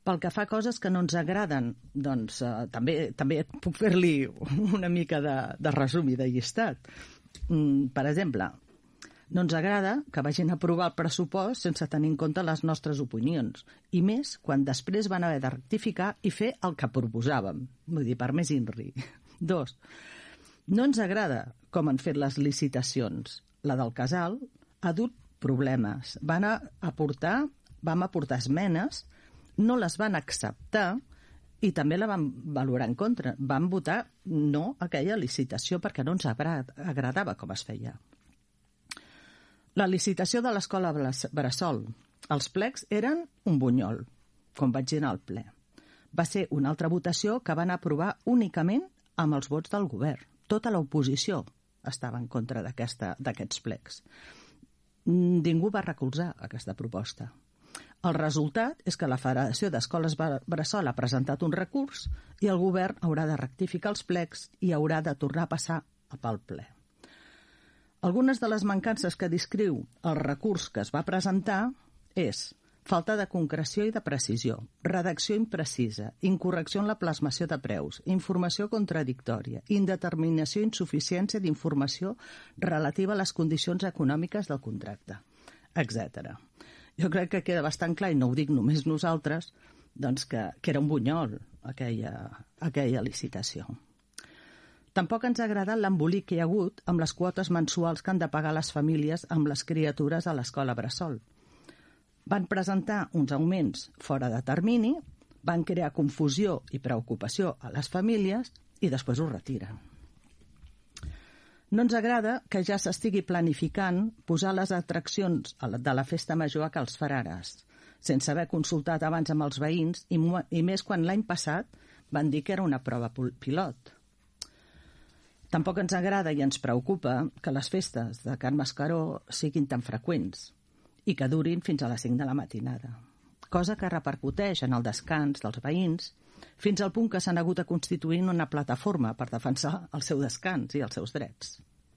Pel que fa a coses que no ens agraden, doncs també puc fer-li una mica de resum i de llistat. Per exemple, no ens agrada que vagin a aprovar el pressupost sense tenir en compte les nostres opinions, i més quan després van haver de rectificar i fer el que proposàvem. Vull dir, per més INRI. 2. No ens agrada com han fet les licitacions. La del casal ha dut problemes. Vam aportar esmenes, no les van acceptar i també la van valorar en contra. Van votar no a aquella licitació perquè no ens agradava com es feia. La licitació de l'escola Bressol. Els plecs eren un bunyol, com vaig dir al ple. Va ser una altra votació que van aprovar únicament amb els vots del govern. Tota l'oposició estava en contra d'aquests plecs. Ningú va recolzar aquesta proposta. El resultat és que la Federació d'Escoles Bressol ha presentat un recurs i el govern haurà de rectificar els plecs i haurà de tornar a passar pel ple. Algunes de les mancances que descriu el recurs que es va presentar és falta de concreció i de precisió, redacció imprecisa, incorrecció en la plasmació de preus, informació contradictòria, indeterminació i insuficiència d'informació relativa a les condicions econòmiques del contracte, etc. Jo crec que queda bastant clar, i no ho dic només nosaltres, doncs que era un bunyol aquella licitació. Tampoc ens ha agradat l'embolic que hi ha hagut amb les quotes mensuals que han de pagar les famílies amb les criatures a l'escola Bressol. Van presentar uns augments fora de termini, van crear confusió i preocupació a les famílies i després ho retiren. No ens agrada que ja s'estigui planificant posar les atraccions de la festa major a Cal Frares, sense haver consultat abans amb els veïns i més quan l'any passat van dir que era una prova pilot. Tampoc ens agrada i ens preocupa que les festes de Can Mascaró siguin tan freqüents i que durin fins a les 5 de la matinada, cosa que repercuteix en el descans dels veïns fins al punt que s'han hagut de constituir una plataforma per defensar el seu descans i els seus drets.